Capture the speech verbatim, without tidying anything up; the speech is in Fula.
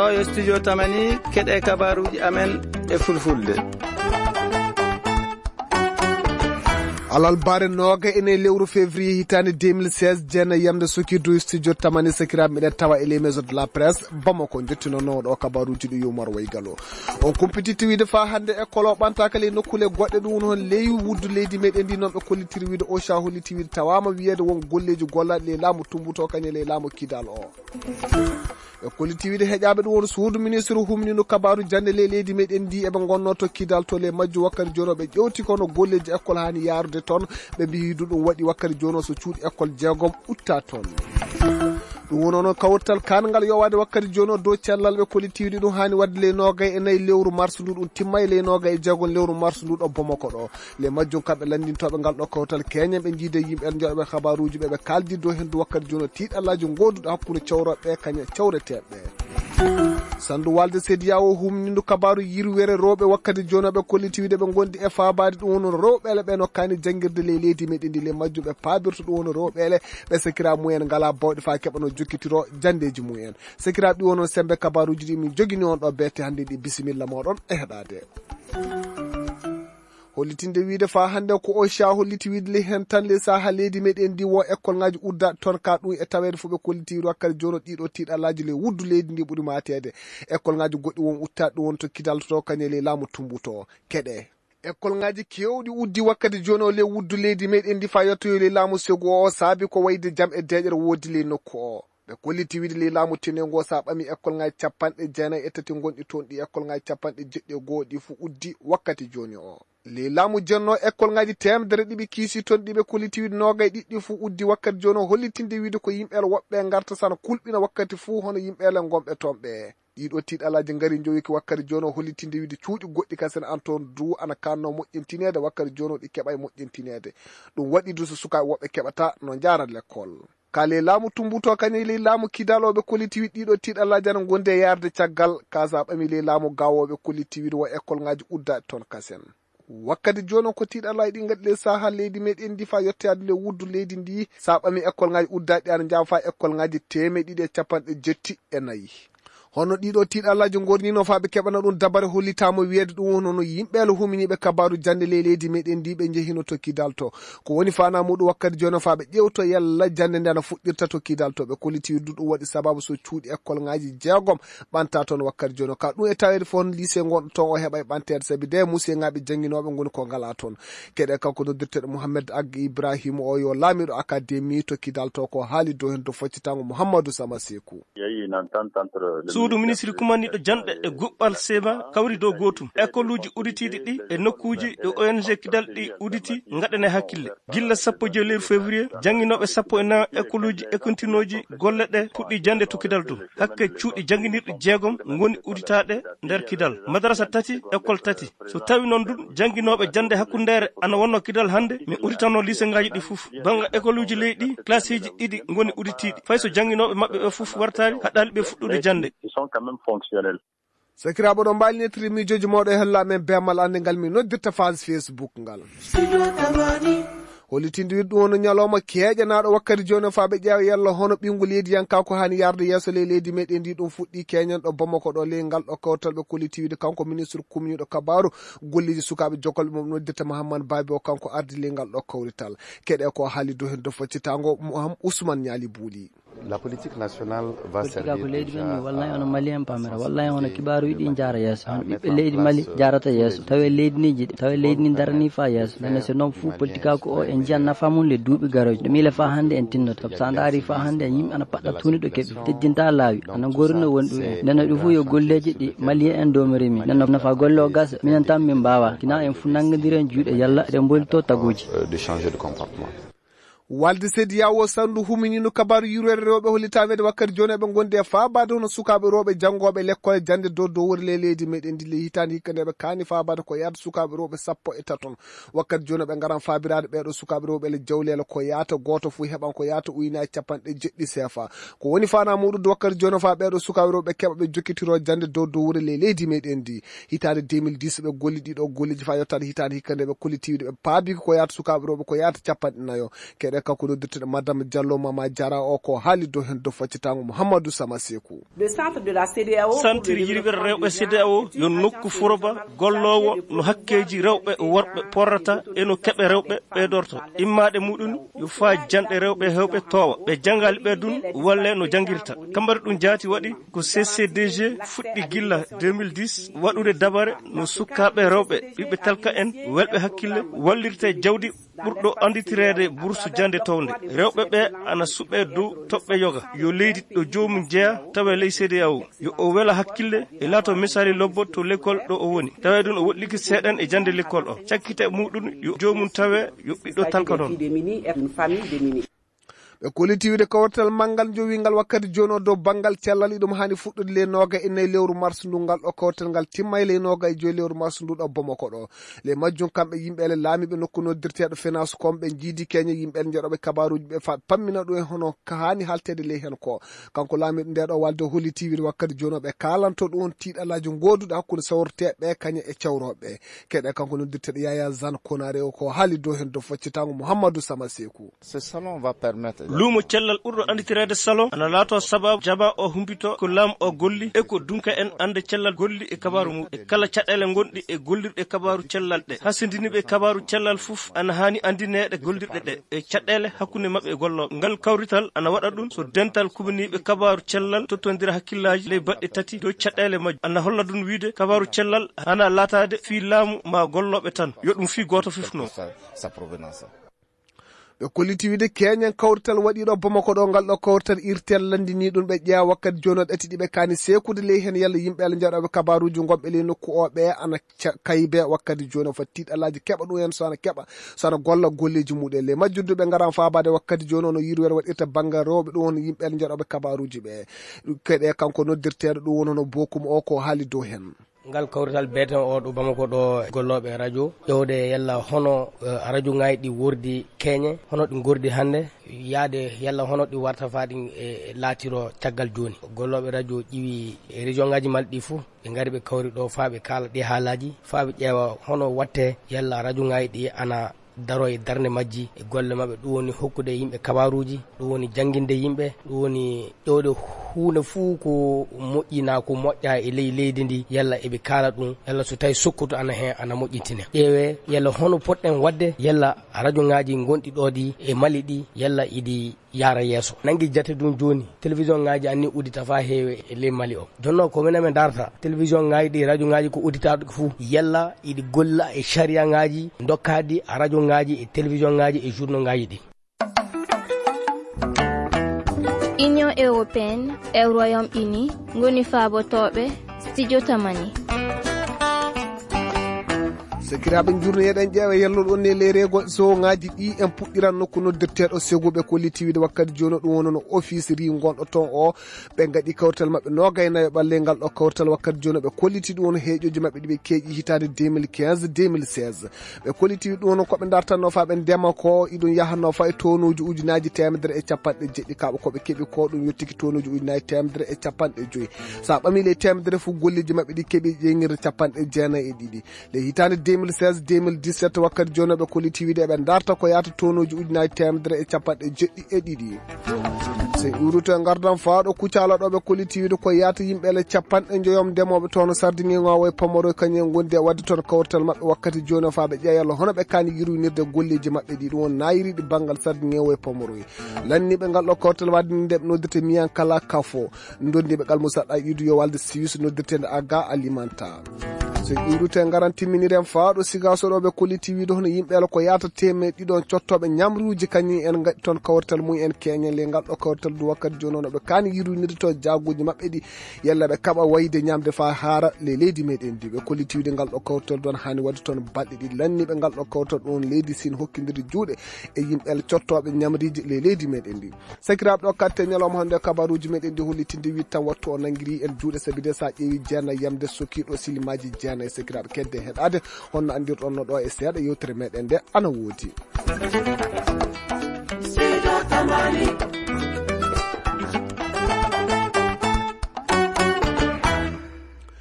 O yo studio Tamani, keɗe kabaruuji amen e fulfulde. Alarba noogay e nayi lewru février hitaande deux mille seize, jeena yamde sokirdu studio Tamani, sakiraaɓe, miɗen tawa e les maisons de la presse Bamako, njottino noon ɗo kabaruuji ɗi yumar way galo. On kumpititti wiide faa hannde école o ɓantaaka ley nokkuule goɗɗe, ɗum woni hon ley wuddu leydi meɗen ndi, noon ɓe kollitiri wiide o ca holliti wiide tawaama wiyeede won golleeji gollaaɗi ley laamu Tumbuto kañe ley laamu Kidal o. Ɓe kolliti wiide heƴaaɓe ɗum woni suudu ministre humnino kabaaru jannde ley leydi meɗen ndi eɓe ngonnoo to Kidal to ley majju wakkati jooni o ɓe ƴewti kono golleeji école haani yaarude toon. Ɓe mbiyi du ɗum waɗi wakkati jooni o so cuuɗi école jeegom utta toon. Ɗum woni onon kawtal kan ngal yowaade wakkati jooni o dow cellal ɓe kolliti wiide ɗum haani waɗde ley noogay e nayi lewru mars ndu ɗum timma e ley noogay e jeegom lewru mars ndu ɗo Bamako ɗo. Le majjum kamɓe lanndintooɓe ngal ɗo kawtal keñen ɓe njiide yimɓe en joɗoɓe kabaruuji ɓe ɓe kaaldi dow henndu wakkati jooni o tiiɗallaaji gooduɗo hakkunde cawroɓe kañe cawreteeɓe. Sanndu walde sediya o humnindu kabaaru yirwere rewɓe wakkati jooni o ɓe kolliti wiide ɓe ngondi e faabaade ɗum woni rewɓeele ɓe no kaani janngirde ley leydi meɗen ndi le majjum ɓe paabirta ɗum woni rewɓeele ɓe sakira mumen ngala bawɗe faa keɓa no jokkitiro janndeeji mumen. Sakiraaɓe ɗi wono sembe kabaaruuji ɗi min jogini on ɗo beete hannde ɗi bisimilla mooɗon e heɗaade. Hollitinde wiide faa hannde ko o ca holliti wiide ley heen tan ley saha leydi meɗen ndi wo école ngaji udda toon ka ɗum e taweede fof ɓe kolliti wiide wakkati jooni o ɗiɗo tiiɗalaaji ley wuddu leydi ndi ɓuri mateede. École ngaji goɗɗi won uttaɗi ɗum won to kidaltoto kañe ley laamu tumbuto keɗe. École ngaji kewɗi uddi wakkati jooni o ley wuddu leydi meɗen ndi faa yettoyo ley laamu segu o saabi ko wayde jam e deeƴere woodi ley nokku o. Ɓe kolliti wiide ley laamu tenengu o so a ɓami école ngaji capanɗe jeenayi e tati gonɗi toon ɗi école ngaji capanɗe jeɗɗi e goo ɗi fof uddi wakkati jooni o. Ley laamu jenno école ngaji teemedere ɗiɓi kiisi toon ɗiɓe kolliti wiide noogay ɗiɗɗi fof uddi wakkati jooni o hollitinde wiide ko yimɓeele woɓɓe ngarta sana kulɓina wakkati fof hono yimɓeele gonɓe toon ɓe. Ɗiɗo tiiɗalaaji ngari njowiiki wakkati jooni o hollitinde wiide cuuɗi goɗɗi kasen an toon du ana kanno moƴƴintineede wakkati jooni o ɗi keɓay moƴƴintineede. Ɗum waɗi du so sukaaɓe woɓɓe keɓata no njaara lekkol. Ka ley laamu tumbuto kañum ley laamu kidalooɓe kolliti wiide ɗiɗo tiiɗalaaji ana ngondi e yaarde caggal ka so a ɓami ley laamu gaawooɓe kolliti wiide wo école ngaji uddaɗi toon kasen. Wakkati jooni o ko tiiɗalaaji ɗi ngaɗi ley saha leydi meɗen ndi faa yettoyaade ley wuddu leydi ndi so a ɓami école ngaji uddaɗi ana njawa faa école ngaji teemeɗe ɗiɗi e capanɗe jetti e nayi. Hono ɗiɗo tiiɗalaaji ngornino faa ɓe keɓana ɗum dabare hollitaama wiyeede ɗum woni hono yimɓeele huminiiɓe kabaaru jannde ley leydi meɗen ndi ɓe njehino to kidal to. Ko woni faanaa muɗum wakkati jooni faa ɓe ƴewto yalla jannde nde ana fuɗɗirta to kidal to ɓe kolliti wiide ɗum waɗi sababu so cuuɗi école ngaji jeegom ɓanta toon wakkati jooni ka ɗum e taweede fof hono lycée ngonɗo toon o heɓa e ɓanteede sabi de musiyŋaaɓe jannginooɓe ngoni ko ngala toon. Keɗe kanko noddirteeɗo Mouhamed Ag Ibrahima o yo laamiiɗo académie to kidal to ko haali dow heen to foccitango Mouhamadou Sama Seku. Suudu ministri kumanniiɗo janɗe e guɓɓal sema kawri dow gootum. Ekoluuji uditiiɗi ɗi e nokkuuji ɗo O N G kidal ɗi uditi ngaɗane hakkille. Gilla sappo e joy lewru février, jannginooɓe sappo e nayo ekoluuji e kontinooji golle ɗe puɗɗi jannde to kidal to. Hakke cuuɗi jannginirɗi jeegom ngoni uditaaɗe nder kidal. Madarasa tati, ekol tati. So tawi noon ɗum jannginooɓe jannde hakkundeere ana wonno kidal hannde, min uditano liseŋaaji ɗi fof. Bannga ekoluuji leydi, klasseeji ɗiɗi ngoni uditiiɗi. Fay so jannginooɓe maɓɓe ɓe fof wartaali, haɗaali ɓe fuɗɗude jannde. Sakiraaɓe ɗo mbaali nettiri miijooji mawɗo e hella men beemal annde ngal min noddirta phase Facebook ngal. Hollitinde wiɗɗum woni ñalawma keeƴanaaɗo wakkati jooni faa ɓe ƴeewa yalla hono ɓinngu leydi yanka ko haani yarde yeeso ley leydi meɗen ndi ɗum fuɗɗi keeñan ɗo Bamako ɗo ley ngal ɗo kawtal ɓe kolliti wiide kanko ministre kumniiɗo kabaaru golleeji sukaaɓe jokolɓe mum noddirta Mahammad Baabi o kanko ardi ley ngal ɗo kawrital. Keɗe ko haali dow heen dow foccitango Ousmane Ñaali Buuli. La politique nationale va politika ko servir leydi men déjà mi wallay hono malien pamira wallay hono kibaaruji ɗi jaara yeeso hono ɓiɓɓe leydi mali jaarata yeeso tawi leydi ni jiɗi tawi leydi ni darani fa yeeso nene so noon fof politika ko o en jiyan nafa mum le duuɓi garoji ɗo miila fa hannde en tinnoto sabu sa ndaari fa hannde en yimɓe ana paɗɗa tuuni ɗo keɓi teddinta laawi ana gorino woni ɗum en nene ɗum fof yo golleji ɗi malien en domiri min nene nafa golle o gasa minen tan min mbawa kina en fof nanngodiren juuɗe yalla eɗen mbolito taguji. De changer de comportement. Walde sediya o sandu huminino kabaru yurwere rewɓe hollitaɓe de wakkati joni eɓe gondi e faabade hono sukaɓe rewɓe janngoɓe lekkole jande dow dowore ley leydi meɗen ndi ley hitande hikka nde ɓe kaani faabade ko yahata sukaɓe rewɓe sappo e taton. Wakkati joni ɓe garan faabirade ɓeɗo sukaɓe rewɓe le jawlele ko yahata goto fu heɓan ko yahata uynaji capanɗe jeɗɗi sefa. Ko woni fana muɗum de wakkati joni fa ɓeɗo sukaɓe rewɓe keɓa ɓe jokkitiro jande dow dowore ley leydi meɗen ndi. Hitande deux mille dix ɓe golli ɗiɗo golleji fa yettade hitande hikka nde ɓe kollitiwde ɓe paabi ko yahata sukaɓe rewɓe ko yahata capanɗe nayo. Ɓe kanko noddirteɗo Madame Diallo Mama Diarra o ko haali dow heen dow faccitaango Mouhamadou Sama Sekou. Le centre de la C D A O pour le Santir développement yirwere rewɓe des C D A O yo nokku foroba golloowo no hakkeeji rewɓe e worɓe porrata e no keɓe rewɓe ɓeydorto. Immaade muɗum yo faa janɗe rewɓe hewɓe toowa. Ɓe janngaali ɓe dun walle no janngirta. Kambari ɗum jaati waɗi ko C C D G fuɗɗi gilla deux mille dix waɗude dabare no sukaaɓe rewɓe ɓiɓɓe talka en welɓe hakkille wallirte jawdi ɓurɗo annditireede bursu jannde townde. Rewɓe ɓe ana suɓee dow toɓɓe yoga. Yo leydi ɗo joomum jeya tawa ley C D A O. Yo o wela hakkille e laato misali lobbo to lekkol ɗo o woni. Tawa ɗum o woɗɗiki seeɗan e jannde lekkol o. Cakkite muɗum yo joomum tawe yo ɓiɗɗo talka ɗon. Ɓe kolliti wiide kawrital manngal jowingal wakkati jooni o dow banngal cellal, iɗum haani fuɗɗude ley nooga e nayi lewru mars ndu. Ngal ɗo kawrital ngal timma e ley nooga e joyi lewru mars ndu ɗo Bamako ɗo. Ley majjum kamɓe yimɓe ele laamiiɓe nokku noddirteeɗo finance kon ɓe jiidi keñe yimɓe ele njaɗooɓe kabaaruuji ɓe fa pammina ɗum e hono ka haani halteede ley heen ko. Kanko laamiiɗo nde ɗo walde holliti wiide wakkati jooni o ɓe kaalanto ɗum on tiiɗalaaji gooduɗo hakkunde sawrteeɓe kañe e cawrooɓe. Keɗe kanko noddirteeɗo Yaya Zan Konare o ko haali dow heen dow faccitaango Mouhamadou Sama Sekou. Ce salon va permettre Luumo cellal ɓurɗo annditireede salon ana laato sababu jama o humbito ko laamu o golli e ko dunka en annde cellal golli e kabaaru mum e kala caɗeele ngonɗi e gollirɗe kabaaru cellal ɗe. Hasindiniiɓe kabaaru cellal fof ana haani anndineede gollirɗe ɗe e caɗeele hakkunde maɓɓe e gollooɓe. Ngal kawrital ana waɗa ɗum so dental kumaniiɓe kabaaru cellal tottondira hakkillaaji ley baɗɗe tati dow caɗeele majje. Ana holla ɗum wiide kabaaru cellal hana laataade fii laamu ma gollooɓe tan. Yo ɗum fii gooto fof noon. Sa provenance. Ɓe kolliti wiide keñen kawrital waɗiiɗo Bamako ɗo, ngal ɗo kawrital irtel lanndinii ɗum ɓe ƴeewa wakkati jooni o ɗati ɗi ɓe kaani seekude ley heen yalla yimɓe Alla njaɗooɓe kabaaruuji ngonɓe ley nokku o ɓe ana ca-, kaybe wakkati jooni o foti tiiɗalaaji keɓa ɗum heen so ana keɓa, so ana golla golleeji muɗum. Ley majjum du ɓe ngaran faabaade wakkati jooni o no yirwere waɗirta banngal rewɓe ɗum woni yimɓe Alla njaɗooɓe kabaaruuji ɓe. Keɗe kanko noddirteeɗo ɗum woni hono Bokum o ko haali dow heen. Ngal kawrital beeten o ɗo Bamako ɗo gollooɓe radio ƴewde yalla hono, eh, radio ngaji ɗi wordi keñe, hono ɗi ngordi hannde, yaade yalla hono ɗi warta faa ɗi, eh, laatiro caggal jooni. Gollooɓe radio ƴiwi région ngaji maɓɓe ɗi fof, ɓe ngari ɓe kawri ɗo faa ɓe kaala ɗi haalaaji, faa ɓe ƴeewa hono watte yalla radio ngaji ɗi ana daro e darnde majji e golle maɓɓe, ɗum woni hokkude yimɓe kabaaruuji, ɗum woni jannginde yimɓe, ɗum woni ƴewde huunde fuu ko moƴƴi naa ko moƴƴa e ley leydi ndi, yalla eɓe kaala ɗum, yalla so tawi sokkutu ana heen ana moƴƴintine. Ƴeewe yalla hono potɗen waɗde, yalla radio ngaji ngonɗi ɗo ɗi e Mali ɗi, yalla iɗi yaara yeeso. Nanngi jate ɗum jooni, télévision ngaji anni uddita faa heewe e ley Mali o. Jonno ko minen min darta télévision ngaji ɗi, radio ngaji ko udditaaɗo fuu, yalla iɗi golla e sariya ngaji dokkaaɗi radio ngaji e télévision ngaji e journaux ngaji ɗi. Union européenne e Royaume-Uni ngoni faabotooɓe Studio Tamani. Sakiraaɓe, njurno eɗen ƴeewa yelloɗo on e ley reego so ngaji ɗi en puɗɗiran nokku noddirteeɗo Segu. Ɓe kolliti wiide wakkati jooni ɗum woni no office ri gonɗo toon o. Ɓe ngaɗi kawtal maɓɓe noogay nayo ɓalle ngal ɗo kawtal wakkati jooni ɓe kolliti ɗum woni heeƴoji maɓɓe ɗi ɓe keeƴi hitaande deux mille quinze, deux mille seize. Ɓe kolliti ɗum woni ko ɓe dartanno faa ɓe ndema ko iɗum yahanno faa e tonuuji ujunaaji teemedere e capanɗe jeɗɗi kaɓa ko ɓe keɓi ko ɗum yottiki tonuuji ujunaaji teemedere e capanɗe joyi. So a ɓamii ley teemedere fof golleeji maɓɓe ɗi keɓi ƴeeŋirde capanɗe jeenayi e ɗiɗi. Ley hitaande deux mille seize, deux mille dix-sept wakkati jooni ɓe kolliti wiide ɓe darta ko yaata tonuuji ujunaaji teemedere e capanɗe jeɗɗi e ɗiɗi. So en iwruto e ngardan faa ɗo Kucala ɗo ɓe kolliti wiide ko yaata yimɓe ele capanɗe njoyom ndemooɓe toon sardiŋeŋo e Pomoroy kañum en ngondi e waɗde toon kawrital maɓɓe wakkati jooni o faa ɓe ƴeewa yalla hono ɓe kaani yurwinirde golleeji maɓɓe ɗi ɗum woni naayiriiɗi banngal sardiŋeŋo e Pomoroy. Lanniiɓe ngal ɗo kawrital waɗde nde ɓe noddirta Miyankala Kafo. Ndondiiɓe ngal Moussa Aidou yo walde Suisse noddirteende Aga Alimenta. So ƴiwrute ngaran timminiren faa ɗo Sigaso ɗo ɓe kolliti wiide hono yimɓe ala ko yaata teemeɗɗe ɗiɗon cottooɓe ñamruuji kañum en ngaɗi toon kawrital mum en keñen le ngal ɗo kawrital du wakkati jooni o no ɓe kaani yirwinirde to jaaguuji maɓɓe ɗi yalla ɓe kaɓa wayde ñamde faa haara le leydi meɗen ndi. Ɓe kolliti wiide ngal ɗo kawrital du ana haani waɗde toon balɗe ɗiɗi lanniiɓe ngal ɗo kawrital ɗum leydi Siin hokkindirde juuɗe e yimɓe ala cottooɓe ñamriiji le leydi meɗen ndi. Sakiraaɓe, ɗo katte ñalawma hannde kabaruuji meɗen ɗi hollitinde wiɗta wattu o nanngiri en juuɗe sabi de so a ƴeewi jeenayi yamde sokiiɗo silimaaji jeenayi. Sakiraaɓe, kedde heɗaade honno anndirɗon no ɗo e seeɗa yewtere meɗen nde ana woodi.